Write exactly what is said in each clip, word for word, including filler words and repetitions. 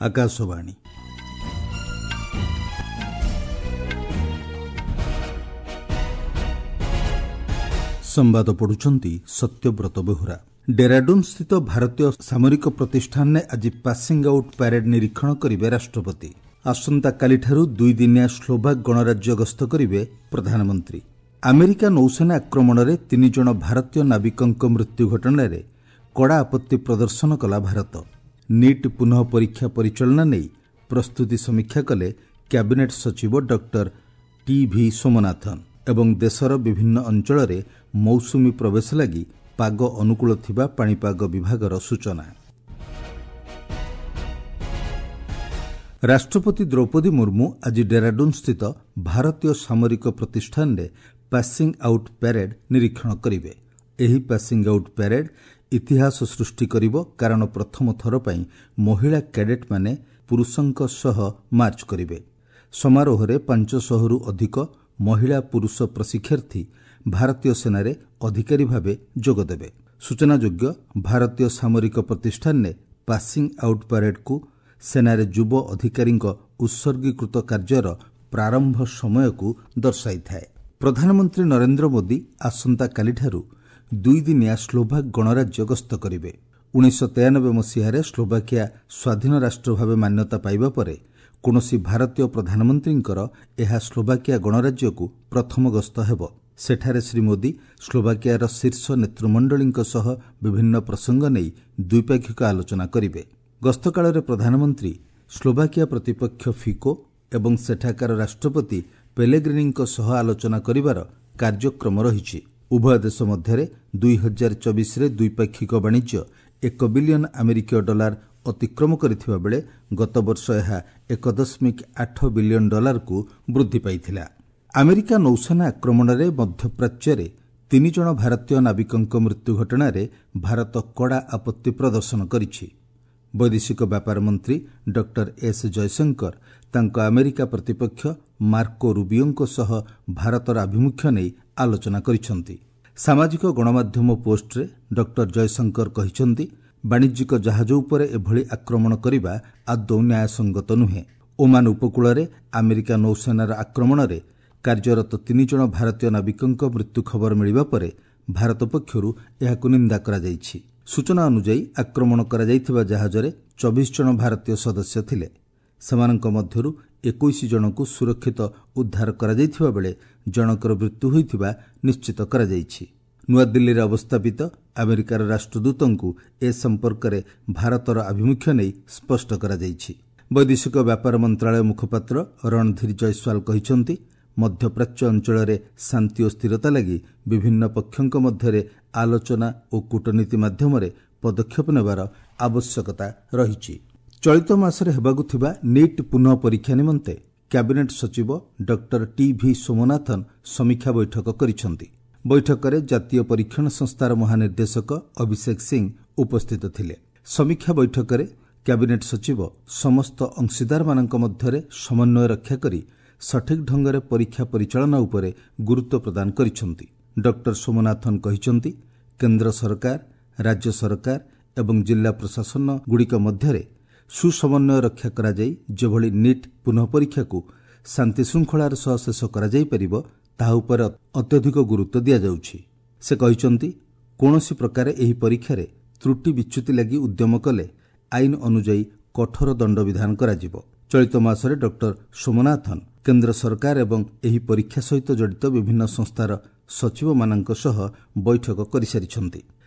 ଆକାଶବାଣୀ ସମ୍ବାଦ ପଢୁଛନ୍ତି ସତ୍ୟବ୍ରତ ବେହୁରା ଡେରାଡୁନ୍ସ୍ଥିତ ଭାରତୀୟ ସାମରିକ ପ୍ରତିଷ୍ଠାନରେ ଆଜି ପାସିଂ ଆଉଟ୍ ପ୍ୟାରେଡ୍ ନିରୀକ୍ଷଣ କରିବେ ରାଷ୍ଟ୍ରପତି ଆସନ୍ତାକାଲିଠାରୁ ଦୁଇଦିନିଆ ସ୍ଲୋଭାକ୍ ଗଣରାଜ୍ୟ ଗସ୍ତ କରିବେ ପ୍ରଧାନମନ୍ତ୍ରୀ ଆମେରିକା ନୌସେନା ଆକ୍ରମଣରେ ତିନିଜଣ ଭାରତୀୟ ନାବିକଙ୍କ ମୃତ୍ୟୁ ଘଟଣାରେ କଡ଼ା ଆପତ୍ତି ପ୍ରଦର୍ଶନ କଲା ଭାରତ ନିଟ୍ ପୁନଃ ପରୀକ୍ଷା ପରିଚାଳନା ନେଇ ପ୍ରସ୍ତୁତି ସମୀକ୍ଷା କଲେ କ୍ୟାବିନେଟ୍ ସଚିବ ଡକ୍ଟର ଟିଭି ସୋମନାଥନ୍ ଏବଂ ଦେଶର ବିଭିନ୍ନ ଅଞ୍ଚଳରେ ମୌସୁମୀ ପ୍ରବେଶ ଲାଗି ପାଗ ଅନୁକୂଳ ଥିବା ପାଣିପାଗ ବିଭାଗର ସୂଚନା ରାଷ୍ଟ୍ରପତି ଦ୍ରୌପଦୀ ମୁର୍ମୁ ଆଜି ଡେରାଡୁନ୍ସ୍ଥିତ ଭାରତୀୟ ସାମରିକ ପ୍ରତିଷ୍ଠାନରେ ପାସିଂ ଆଉଟ୍ ପ୍ୟାରେଡ୍ ନିରୀକ୍ଷଣ କରିବେ ଏହି ପାସିଂ ଆଉଟ୍ ପ୍ୟାରେଡ୍ ଇତିହାସ ସୃଷ୍ଟି କରିବ କାରଣ ପ୍ରଥମ ଥର ପାଇଁ ମହିଳା କ୍ୟାଡେଟ୍ମାନେ ପୁରୁଷଙ୍କ ସହ ମାର୍ଚ୍ଚ କରିବେ ସମାରୋହରେ ପାଞ୍ଚଶହରୁ ଅଧିକ ମହିଳା ପୁରୁଷ ପ୍ରଶିକ୍ଷାର୍ଥୀ ଭାରତୀୟ ସେନାରେ ଅଧିକାରୀ ଭାବେ ଯୋଗଦେବେ ସୂଚନାଯୋଗ୍ୟ ଭାରତୀୟ ସାମରିକ ପ୍ରତିଷ୍ଠାନରେ ପାସିଂ ଆଉଟ୍ ପ୍ୟାରେଡ୍କୁ ସେନାରେ ଯୁବ ଅଧିକାରୀଙ୍କ ଉତ୍ସର୍ଗୀକୃତ କାର୍ଯ୍ୟର ପ୍ରାରମ୍ଭ ସମୟକୁ ଦର୍ଶାଇଥାଏ ପ୍ରଧାନମନ୍ତ୍ରୀ ନରେନ୍ଦ୍ର ମୋଦି ଆସନ୍ତାକାଲିଠାରୁ ଦୁଇଦିନିଆ ସ୍ଲୋଭାକ୍ ଗଣରାଜ୍ୟ ଗସ୍ତ କରିବେ ଉଣେଇଶହ ତେୟାନବେ ମସିହାରେ ସ୍ଲୋଭାକିଆ ସ୍ୱାଧୀନ ରାଷ୍ଟ୍ର ଭାବେ ମାନ୍ୟତା ପାଇବା ପରେ କୌଣସି ଭାରତୀୟ ପ୍ରଧାନମନ୍ତ୍ରୀଙ୍କର ଏହା ସ୍ଲୋଭାକିଆ ଗଣରାଜ୍ୟକୁ ପ୍ରଥମ ଗସ୍ତ ହେବ ସେଠାରେ ଶ୍ରୀ ମୋଦି ସ୍ଲୋଭାକିଆର ଶୀର୍ଷ ନେତୃମଣ୍ଡଳୀଙ୍କ ସହ ବିଭିନ୍ନ ପ୍ରସଙ୍ଗ ନେଇ ଦ୍ୱିପାକ୍ଷିକ ଆଲୋଚନା କରିବେ ଗସ୍ତକାଳରେ ପ୍ରଧାନମନ୍ତ୍ରୀ ସ୍ଲୋଭାକିଆ ପ୍ରତିପକ୍ଷ ଫିକୋ ଏବଂ ସେଠାକାର ରାଷ୍ଟ୍ରପତି ପେଲେଗ୍ରିନିଙ୍କ ସହ ଆଲୋଚନା କରିବାର କାର୍ଯ୍ୟକ୍ରମ ରହିଛି ଉଭୟ ଦେଶ ମଧ୍ୟରେ ଦୁଇ ହଜାର ଚବିଶରେ ଦ୍ୱିପାକ୍ଷିକ ବାଣିଜ୍ୟ ଏକ ବିଲିୟନ ଆମେରିକୀୟ ଡଲାର ଅତିକ୍ରମ କରିଥିବା ବେଳେ ଗତବର୍ଷ ଏହା ଏକ ଦଶମିକ ଆଠ ବିଲିୟନ ଡଲାରକୁ ବୃଦ୍ଧି ପାଇଥିଲା ଆମେରିକା ନୌସେନା ଆକ୍ରମଣରେ ମଧ୍ୟପ୍ରାଚ୍ୟରେ ତିନିଜଣ ଭାରତୀୟ ନାବିକଙ୍କ ମୃତ୍ୟୁ ଘଟଣାରେ ଭାରତ କଡ଼ା ଆପତ୍ତି ପ୍ରଦର୍ଶନ କରିଛି ବୈଦେଶିକ ବ୍ୟାପାର ମନ୍ତ୍ରୀ ଡକ୍ଟର ଏସ୍ ଜୟଶଙ୍କର ତାଙ୍କ ଆମେରିକା ପ୍ରତିପକ୍ଷ ମାର୍କୋ ରୁବିଓଙ୍କ ସହ ଭାରତର ଆଭିମୁଖ୍ୟ ନେଇ ଆଲୋଚନା କରିଛନ୍ତି ସାମାଜିକ ଗଣମାଧ୍ୟମ ପୋଷ୍ଟରେ ଡକ୍ଟର ଜୟଶଙ୍କର କହିଛନ୍ତି ବାଣିଜ୍ୟିକ ଜାହାଜ ଉପରେ ଏଭଳି ଆକ୍ରମଣ କରିବା ଆଦୌ ନ୍ୟାୟସଙ୍ଗତ ନୁହେଁ ଓମାନ ଉପକୂଳରେ ଆମେରିକା ନୌସେନାର ଆକ୍ରମଣରେ କାର୍ଯ୍ୟରତ ତିନିଜଣ ଭାରତୀୟ ନାବିକଙ୍କ ମୃତ୍ୟୁ ଖବର ମିଳିବା ପରେ ଭାରତ ପକ୍ଷରୁ ଏହାକୁ ନିନ୍ଦା କରାଯାଇଛି ସୂଚନା ଅନୁଯାୟୀ ଆକ୍ରମଣ କରାଯାଇଥିବା ଜାହାଜରେ ଚବିଶ ଜଣ ଭାରତୀୟ ସଦସ୍ୟ ଥିଲେ ସେମାନଙ୍କ ମଧ୍ୟରୁ ଏକୋଇଶ ଜଣଙ୍କୁ ସୁରକ୍ଷିତ ଉଦ୍ଧାର କରାଯାଇଥିବା ବେଳେ ଜଣଙ୍କର ମୃତ୍ୟୁ ହୋଇଥିବା ନିଶ୍ଚିତ କରାଯାଇଛି ନୂଆଦିଲ୍ଲୀରେ ଅବସ୍ଥାପିତ ଆମେରିକାର ରାଷ୍ଟ୍ରଦୂତଙ୍କୁ ଏ ସମ୍ପର୍କରେ ଭାରତର ଆଭିମୁଖ୍ୟ ନେଇ ସ୍ପଷ୍ଟ କରାଯାଇଛି ବୈଦେଶିକ ବ୍ୟାପାର ମନ୍ତ୍ରଣାଳୟ ମୁଖପାତ୍ର ରଣଧୀର ଜୟସ୍ୱାଲ କହିଛନ୍ତି ମଧ୍ୟପ୍ରାଚ୍ୟ ଅଞ୍ଚଳରେ ଶାନ୍ତି ଓ ସ୍ଥିରତା ଲାଗି ବିଭିନ୍ନ ପକ୍ଷଙ୍କ ମଧ୍ୟରେ ଆଲୋଚନା ଓ କୂଟନୀତି ମାଧ୍ୟମରେ ପଦକ୍ଷେପ ନେବାର ଆବଶ୍ୟକତା ରହିଛି ଚଳିତ ମାସରେ ହେବାକୁ ଥିବା ନିଟ୍ ପୁନଃ ପରୀକ୍ଷା ନିମନ୍ତେ କ୍ୟାବିନେଟ୍ ସଚିବ ଡକ୍ଟର ଟିଭି ସୋମନାଥନ୍ ସମୀକ୍ଷା ବୈଠକ କରିଛନ୍ତି ବୈଠକରେ ଜାତୀୟ ପରୀକ୍ଷଣ ସଂସ୍ଥାର ମହାନିର୍ଦ୍ଦେଶକ ଅଭିଷେକ ସିଂ ଉପସ୍ଥିତ ଥିଲେ ସମୀକ୍ଷା ବୈଠକରେ କ୍ୟାବିନେଟ୍ ସଚିବ ସମସ୍ତ ଅଂଶୀଦାରମାନଙ୍କ ମଧ୍ୟରେ ସମନ୍ୱୟ ରକ୍ଷା କରି ସଠିକ୍ ଢଙ୍ଗରେ ପରୀକ୍ଷା ପରିଚାଳନା ଉପରେ ଗୁରୁତ୍ୱ ପ୍ରଦାନ କରିଛନ୍ତି ଡକ୍ଟର ସୋମନାଥନ୍ କହିଛନ୍ତି କେନ୍ଦ୍ର ସରକାର ରାଜ୍ୟ ସରକାର ଏବଂ ଜିଲ୍ଲା ପ୍ରଶାସନଗୁଡ଼ିକ ମଧ୍ୟରେ ସୁସମନ୍ୱୟ ରକ୍ଷା କରାଯାଇ ଯେଭଳି ନିଟ୍ ପୁନଃ ପରୀକ୍ଷାକୁ ଶାନ୍ତିଶୃଙ୍ଖଳାର ସହ ଶେଷ କରାଯାଇପାରିବ ତାହା ଉପରେ ଅତ୍ୟଧିକ ଗୁରୁତ୍ୱ ଦିଆଯାଉଛି ସେ କହିଛନ୍ତି କୌଣସି ପ୍ରକାରେ ଏହି ପରୀକ୍ଷାରେ ତ୍ରୁଟି ବିଚ୍ୟୁତି ଲାଗି ଉଦ୍ୟମ କଲେ ଆଇନ ଅନୁଯାୟୀ କଠୋର ଦଣ୍ଡବିଧାନ କରାଯିବ ଚଳିତ ମାସରେ ଡକ୍ଟର ସୋମନାଥନ୍ କେନ୍ଦ୍ର ସରକାର ଏବଂ ଏହି ପରୀକ୍ଷା ସହିତ ଜଡ଼ିତ ବିଭିନ୍ନ ସଂସ୍ଥାର ସଚିବମାନଙ୍କ ସହ ବୈଠକ କରିସାରିଛନ୍ତି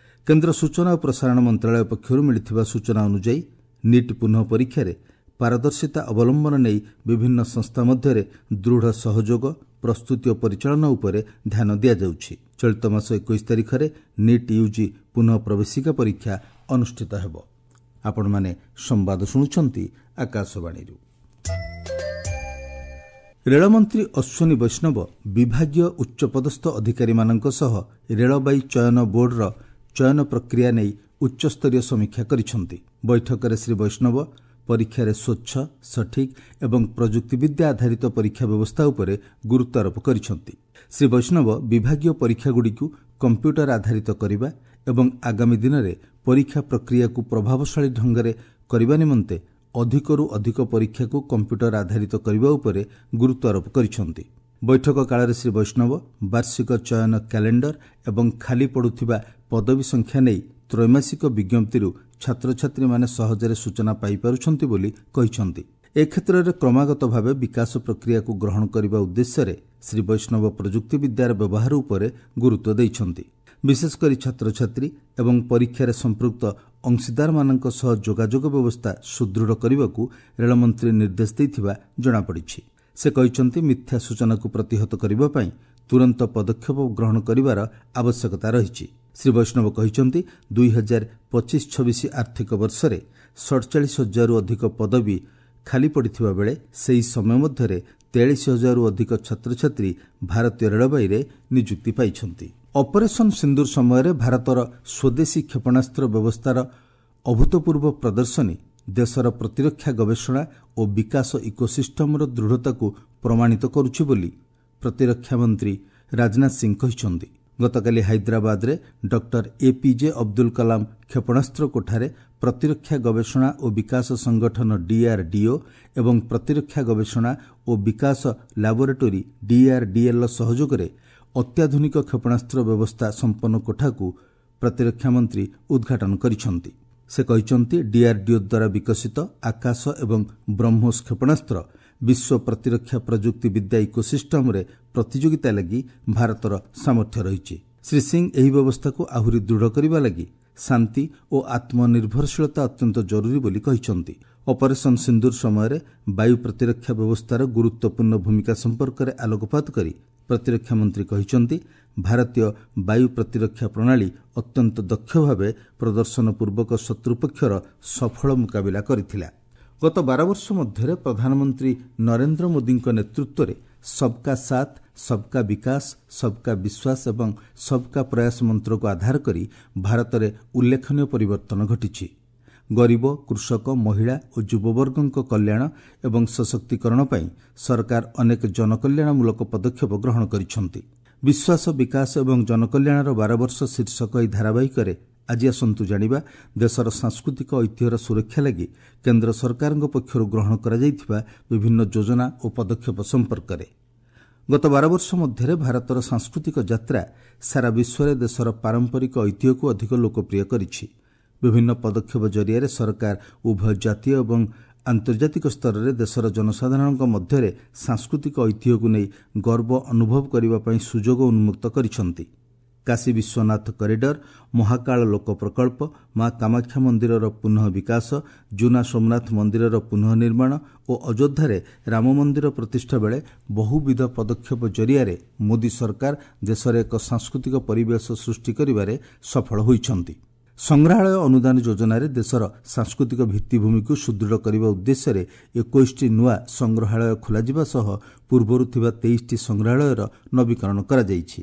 କେନ୍ଦ୍ର ସୂଚନା ଓ ପ୍ରସାରଣ ମନ୍ତ୍ରଣାଳୟ ପକ୍ଷରୁ ମିଳିଥିବା ସୂଚନା ଅନୁଯାୟୀ ନିଟ୍ ପୁନଃ ପରୀକ୍ଷାରେ ପାରଦର୍ଶିତା ଅବଲମ୍ବନ ନେଇ ବିଭିନ୍ନ ସଂସ୍ଥା ମଧ୍ୟରେ ଦୃଢ଼ ସହଯୋଗ ପ୍ରସ୍ତୁତି ଓ ପରିଚାଳନା ଉପରେ ଧ୍ୟାନ ଦିଆଯାଉଛି ଚଳିତ ମାସ ଏକୋଇଶ ତାରିଖରେ ନିଟ୍ ୟୁଜି ପୁନଃ ପ୍ରବେଶିକା ପରୀକ୍ଷା ଅନୁଷ୍ଠିତ ହେବ ଆପଣମାନେ ସମ୍ବାଦ ଶୁଣୁଛନ୍ତି ଆକାଶବାଣୀରୁ ରେଳମନ୍ତ୍ରୀ ଅଶ୍ୱିନୀ ବୈଷ୍ଣବ ବିଭାଗୀୟ ଉଚ୍ଚପଦସ୍ଥ ଅଧିକାରୀମାନଙ୍କ ସହ ରେଳବାଇ ଚୟନ ବୋର୍ଡର ଚୟନ ପ୍ରକ୍ରିୟା ନେଇ ଉଚ୍ଚସ୍ତରୀୟ ସମୀକ୍ଷା କରିଛନ୍ତି ବୈଠକରେ ଶ୍ରୀ ବୈଷ୍ଣବ ପରୀକ୍ଷାରେ ସ୍ୱଚ୍ଛ ସଠିକ୍ ଏବଂ ପ୍ରଯୁକ୍ତିବିଦ୍ୟା ଆଧାରିତ ପରୀକ୍ଷା ବ୍ୟବସ୍ଥା ଉପରେ ଗୁରୁତ୍ୱାରୋପ କରିଛନ୍ତି ଶ୍ରୀ ବୈଷ୍ଣବ ବିଭାଗୀୟ ପରୀକ୍ଷାଗୁଡ଼ିକୁ କମ୍ପ୍ୟୁଟର ଆଧାରିତ କରିବା ଏବଂ ଆଗାମୀ ଦିନରେ ପରୀକ୍ଷା ପ୍ରକ୍ରିୟାକୁ ପ୍ରଭାବଶାଳୀ ଢଙ୍ଗରେ କରିବା ନିମନ୍ତେ ଅଧିକରୁ ଅଧିକ ପରୀକ୍ଷାକୁ କମ୍ପ୍ୟୁଟର ଆଧାରିତ କରିବା ଉପରେ ଗୁରୁତ୍ୱାରୋପ କରିଛନ୍ତି। ବୈଠକ କାଳରେ ଶ୍ରୀ ବୈଷ୍ଣବ ବାର୍ଷିକ ଚୟନ କ୍ୟାଲେଣ୍ଡର ଏବଂ ଖାଲି ପଡ଼ୁଥିବା ପଦବୀ ସଂଖ୍ୟା ନେଇ ତ୍ରୈମାସିକ ବିଜ୍ଞପ୍ତିରୁ ଛାତ୍ରଛାତ୍ରୀମାନେ ସହଜରେ ସୂଚନା ପାଇପାରୁଛନ୍ତି ବୋଲି କହିଛନ୍ତି। ଏ କ୍ଷେତ୍ରରେ କ୍ରମାଗତ ଭାବେ ବିକାଶ ପ୍ରକ୍ରିୟାକୁ ଗ୍ରହଣ କରିବା ଉଦ୍ଦେଶ୍ୟରେ ଶ୍ରୀ ବୈଷ୍ଣବ ପ୍ରଯୁକ୍ତିବିଦ୍ୟାର ବ୍ୟବହାର ଉପରେ ଗୁରୁତ୍ୱ ଦେଇଛନ୍ତି। ବିଶେଷକରି ଛାତ୍ରଛାତ୍ରୀ ଏବଂ ପରୀକ୍ଷାରେ ସମ୍ପୃକ୍ତ ଅଂଶୀଦାରମାନଙ୍କ ସହ ଯୋଗାଯୋଗ ବ୍ୟବସ୍ଥା ସୁଦୃଢ଼ କରିବାକୁ ରେଳମନ୍ତ୍ରୀ ନିର୍ଦ୍ଦେଶ ଦେଇଥିବା ଜଣାପଡ଼ିଛି। ସେ କହିଛନ୍ତି, ମିଥ୍ୟା ସୂଚନାକୁ ପ୍ରତିହତ କରିବା ପାଇଁ ତୁରନ୍ତ ପଦକ୍ଷେପ ଗ୍ରହଣ କରିବାର ଆବଶ୍ୟକତା ରହିଛି। ଶ୍ରୀ ବୈଷ୍ଣବ କହିଛନ୍ତି, ଦୁଇ ହଜାର ପଚିଶ ଛବିଶ ଆର୍ଥିକ ବର୍ଷରେ ସଡ଼ଚାଳିଶ ହଜାରରୁ ଅଧିକ ପଦବୀ ଖାଲି ପଡ଼ିଥିବା ବେଳେ ସେହି ସମୟ ମଧ୍ୟରେ ତେୟାଳିଶ ହଜାରରୁ ଅଧିକ ଛାତ୍ରଛାତ୍ରୀ ଭାରତୀୟ ରେଳବାଇରେ ନିଯୁକ୍ତି ପାଇଛନ୍ତି। ଅପରେସନ୍ ସିନ୍ଦୁର ସମୟରେ ଭାରତର ସ୍ୱଦେଶୀ କ୍ଷେପଣାସ୍ତ୍ର ବ୍ୟବସ୍ଥାର ଅଭୂତପୂର୍ବ ପ୍ରଦର୍ଶନୀ ଦେଶର ପ୍ରତିରକ୍ଷା ଗବେଷଣା ଓ ବିକାଶ ଇକୋସିଷ୍ଟମର ଦୃଢ଼ତାକୁ ପ୍ରମାଣିତ କରୁଛି ବୋଲି ପ୍ରତିରକ୍ଷା ମନ୍ତ୍ରୀ ରାଜନାଥ ସିଂ କହିଛନ୍ତି। ଗତକାଲି ହାଇଦ୍ରାବାଦରେ ଡକ୍ଟର ଏପିଜେ ଅବଦୁଲ କଲାମ କ୍ଷେପଣାସ୍ତ୍ର କୋଠାରେ ପ୍ରତିରକ୍ଷା ଗବେଷଣା ଓ ବିକାଶ ସଂଗଠନ ଡିଆର୍ଡିଓ ଏବଂ ପ୍ରତିରକ୍ଷା ଗବେଷଣା ଓ ବିକାଶ ଲାବୋରେଟୋରୀ ଡିଆର୍ଡିଏଲ୍ର ସହଯୋଗରେ ଅତ୍ୟାଧୁନିକ କ୍ଷେପଣାସ୍ତ୍ର ବ୍ୟବସ୍ଥା ସମ୍ପନ୍ନ କୋଠାକୁ ପ୍ରତିରକ୍ଷା ମନ୍ତ୍ରୀ ଉଦ୍ଘାଟନ କରିଛନ୍ତି। ସେ କହିଛନ୍ତି, ଡିଆର୍ଡିଓ ଦ୍ୱାରା ବିକଶିତ ଆକାଶ ଏବଂ ବ୍ରହ୍ମୋସ କ୍ଷେପଣାସ୍ତ୍ର ବିଶ୍ୱ ପ୍ରତିରକ୍ଷା ପ୍ରଯୁକ୍ତି ବିଦ୍ୟା ଇକୋସିଷ୍ଟମରେ ପ୍ରତିଯୋଗିତା ଲାଗି ଭାରତର ସାମର୍ଥ୍ୟ ରହିଛି। ଶ୍ରୀ ସିଂ ଏହି ବ୍ୟବସ୍ଥାକୁ ଆହୁରି ଦୃଢ଼ କରିବା ଲାଗି ଶାନ୍ତି ଓ ଆତ୍ମନିର୍ଭରଶୀଳତା ଅତ୍ୟନ୍ତ ଜରୁରୀ ବୋଲି କହିଛନ୍ତି। ଅପରେସନ୍ ସିନ୍ଦୁର ସମୟରେ ବାୟୁ ପ୍ରତିରକ୍ଷା ବ୍ୟବସ୍ଥାର ଗୁରୁତ୍ୱପୂର୍ଣ୍ଣ ଭୂମିକା ସମ୍ପର୍କରେ ଆଲୋକପାତ କରି ପ୍ରତିରକ୍ଷା ମନ୍ତ୍ରୀ କହିଛନ୍ତି, ଭାରତୀୟ ବାୟୁ ପ୍ରତିରକ୍ଷା ପ୍ରଣାଳୀ ଅତ୍ୟନ୍ତ ଦକ୍ଷ ଭାବେ ପ୍ରଦର୍ଶନ ପୂର୍ବକ ଶତ୍ରୁପକ୍ଷର ସଫଳ ମୁକାବିଲା କରିଥିଲା। ଗତ ବାର ବର୍ଷ ମଧ୍ୟରେ ପ୍ରଧାନମନ୍ତ୍ରୀ ନରେନ୍ଦ୍ର ମୋଦିଙ୍କ ନେତୃତ୍ୱରେ ସବକା ସାଥ, ସବକା ବିକାଶ, ସବକା ବିଶ୍ୱାସ ଏବଂ ସବକା ପ୍ରୟାସ ମନ୍ତ୍ରକୁ ଆଧାର କରି ଭାରତରେ ଉଲ୍ଲେଖନୀୟ ପରିବର୍ତ୍ତନ ଘଟିଛି। ଗରିବ, କୃଷକ, ମହିଳା ଓ ଯୁବବର୍ଗଙ୍କ କଲ୍ୟାଣ ଏବଂ ସଶକ୍ତିକରଣ ପାଇଁ ସରକାର ଅନେକ ଜନକଲ୍ୟାଣମୂଳକ ପଦକ୍ଷେପ ଗ୍ରହଣ କରିଛନ୍ତି। ବିଶ୍ୱାସ, ବିକାଶ ଏବଂ ଜନକଲ୍ୟାଣର ବାର ବର୍ଷ ଶୀର୍ଷକ ଏହି ଧାରାବାହିକରେ ଆଜି ଆସନ୍ତୁ ଜାଣିବା ଦେଶର ସାଂସ୍କୃତିକ ଐତିହ୍ୟର ସୁରକ୍ଷା ଲାଗି କେନ୍ଦ୍ର ସରକାରଙ୍କ ପକ୍ଷରୁ ଗ୍ରହଣ କରାଯାଇଥିବା ବିଭିନ୍ନ ଯୋଜନା ଓ ପଦକ୍ଷେପ ସମ୍ପର୍କରେ। ଗତ ବାର ବର୍ଷ ମଧ୍ୟରେ ଭାରତର ସାଂସ୍କୃତିକ ଯାତ୍ରା ସାରା ବିଶ୍ୱରେ ଦେଶର ପାରମ୍ପରିକ ଐତିହ୍ୟକୁ ଅଧିକ ଲୋକପ୍ରିୟ କରିଛି। ବିଭିନ୍ନ ପଦକ୍ଷେପ ଜରିଆରେ ସରକାର ଉଭୟ ଜାତୀୟ ଏବଂ ଆନ୍ତର୍ଜାତିକ ସ୍ତରରେ ଦେଶର ଜନସାଧାରଣଙ୍କ ମଧ୍ୟରେ ସାଂସ୍କୃତିକ ଐତିହ୍ୟକୁ ନେଇ ଗର୍ବ ଅନୁଭବ କରିବା ପାଇଁ ସୁଯୋଗ ଉନ୍ମୁକ୍ତ କରିଛନ୍ତି। କାଶୀ ବିଶ୍ୱନାଥ କରିଡର, ମହାକାଳ ଲୋକ ପ୍ରକଳ୍ପ, ମା କାମାକ୍ଷା ମନ୍ଦିରର ପୁନଃ ବିକାଶ, ଜୁନା ସୋମନାଥ ମନ୍ଦିରର ପୁନଃ ନିର୍ମାଣ ଓ ଅଯୋଧ୍ୟାରେ ରାମ ମନ୍ଦିର ପ୍ରତିଷ୍ଠା ବେଳେ ବହୁବିଧ ପଦକ୍ଷେପ ଜରିଆରେ ମୋଦି ସରକାର ଦେଶରେ ଏକ ସାଂସ୍କୃତିକ ପରିବେଶ ସୃଷ୍ଟି କରିବାରେ ସଫଳ ହୋଇଛନ୍ତି। ସଂଗ୍ରହାଳୟ ଅନୁଦାନ ଯୋଜନାରେ ଦେଶର ସାଂସ୍କୃତିକ ଭିତ୍ତିଭୂମିକୁ ସୁଦୃଢ଼ କରିବା ଉଦ୍ଦେଶ୍ୟରେ ଏକୋଇଶଟି ନୂଆ ସଂଗ୍ରହାଳୟ ଖୋଲାଯିବା ସହ ପୂର୍ବରୁ ଥିବା ତେଇଶଟି ସଂଗ୍ରହାଳୟର ନବୀକରଣ କରାଯାଇଛି।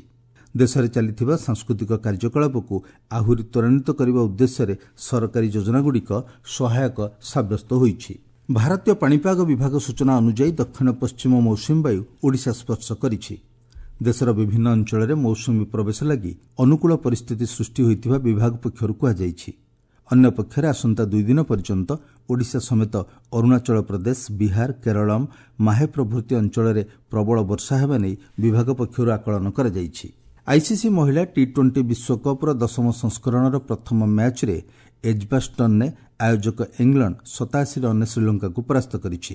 ଦେଶରେ ଚାଲିଥିବା ସାଂସ୍କୃତିକ କାର୍ଯ୍ୟକଳାପକୁ ଆହୁରି ତ୍ୱରାନ୍ୱିତ କରିବା ଉଦ୍ଦେଶ୍ୟରେ ସରକାରୀ ଯୋଜନାଗୁଡ଼ିକ ସହାୟକ ସାବ୍ୟସ୍ତ ହୋଇଛି। ଭାରତୀୟ ପାଣିପାଗ ବିଭାଗ ସୂଚନା ଅନୁଯାୟୀ ଦକ୍ଷିଣ ପଶ୍ଚିମ ମୌସୁମୀ ବାୟୁ ଓଡ଼ିଶା ସ୍ପର୍ଶ କରିଛି। ଦେଶର ବିଭିନ୍ନ ଅଞ୍ଚଳରେ ମୌସୁମୀ ପ୍ରବେଶ ଲାଗି ଅନୁକୂଳ ପରିସ୍ଥିତି ସୃଷ୍ଟି ହୋଇଥିବା ବିଭାଗ ପକ୍ଷରୁ କୁହାଯାଇଛି। ଅନ୍ୟପକ୍ଷରେ ଆସନ୍ତା ଦୁଇ ଦିନ ପର୍ଯ୍ୟନ୍ତ ଓଡ଼ିଶା ସମେତ ଅରୁଣାଚଳ ପ୍ରଦେଶ, ବିହାର, କେରଳମ୍, ମାହେ ପ୍ରଭୃତି ଅଞ୍ଚଳରେ ପ୍ରବଳ ବର୍ଷା ହେବା ନେଇ ବିଭାଗ ପକ୍ଷରୁ ଆକଳନ କରାଯାଇଛି। ଆଇସିସି ମହିଳା ଟି ଟ୍ୱେଣ୍ଟି ବିଶ୍ୱକପ୍ର ଦଶମ ସଂସ୍କରଣର ପ୍ରଥମ ମ୍ୟାଚ୍ରେ ଏଜ୍ବାଷ୍ଟନରେ ଆୟୋଜକ ଇଂଲଣ୍ଡ ସତାଅଶୀ ରନ୍ରେ ଶ୍ରୀଲଙ୍କାକୁ ପରାସ୍ତ କରିଛି।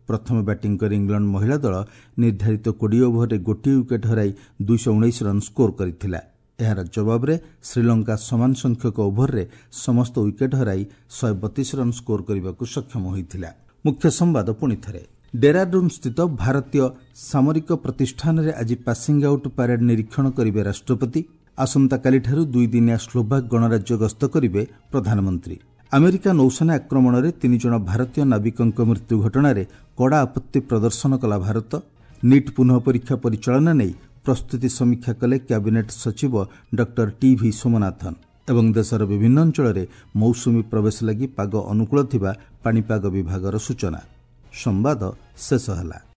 ପ୍ରଥମେ ବ୍ୟାଟିଂ କରି ଇଂଲଣ୍ଡ ମହିଳା ଦଳ ନିର୍ଦ୍ଧାରିତ କୋଡ଼ିଏ ଓଭରରେ ଗୋଟିଏ ୱିକେଟ୍ ହରାଇ ଦୁଇଶହ ଉଣେଇଶ ରନ୍ ସ୍କୋର କରିଥିଲା। ଏହାର ଜବାବରେ ଶ୍ରୀଲଙ୍କା ସମାନ ସଂଖ୍ୟକ ଓଭରରେ ସମସ୍ତ ୱିକେଟ୍ ହରାଇ ଶହେ ବତିଶ ରନ୍ ସ୍କୋର କରିବାକୁ ସକ୍ଷମ ହୋଇଥିଲା। ମୁଖ୍ୟ ସମ୍ବାଦ ପୁଣିଥରେ। ଡେରାଡୁନ୍ ସ୍ଥିତ ଭାରତୀୟ ସାମରିକ ପ୍ରତିଷ୍ଠାନରେ ଆଜି ପାସିଂ ଆଉଟ୍ ପ୍ୟାରେଡ୍ ନିରୀକ୍ଷଣ କରିବେ ରାଷ୍ଟ୍ରପତି। ଆସନ୍ତାକାଲିଠାରୁ ଦୁଇଦିନିଆ ସ୍ଲୋଭାକ୍ ଗଣରାଜ୍ୟ ଗସ୍ତ କରିବେ ପ୍ରଧାନମନ୍ତ୍ରୀ। ଆମେରିକା ନୌସେନା ଆକ୍ରମଣରେ ତିନିଜଣ ଭାରତୀୟ ନାବିକଙ୍କ ମୃତ୍ୟୁ ଘଟଣାରେ କଡ଼ା ଆପତ୍ତି ପ୍ରଦର୍ଶନ କଲା ଭାରତ। ନିଟ୍ ପୁନଃ ପରୀକ୍ଷା ପରିଚାଳନା ନେଇ ପ୍ରସ୍ତୁତି ସମୀକ୍ଷା କଲେ କ୍ୟାବିନେଟ୍ ସଚିବ ଡକ୍ଟର ଟିଭି ସୋମନାଥନ୍। ଏବଂ ଦେଶର ବିଭିନ୍ନ ଅଞ୍ଚଳରେ ମୌସୁମୀ ପ୍ରବେଶ ଲାଗି ପାଗ ଅନୁକୂଳ ଥିବା ପାଣିପାଗ ବିଭାଗର ସୂଚନା। ସମ୍ବାଦ ଶେଷ ହେଲା।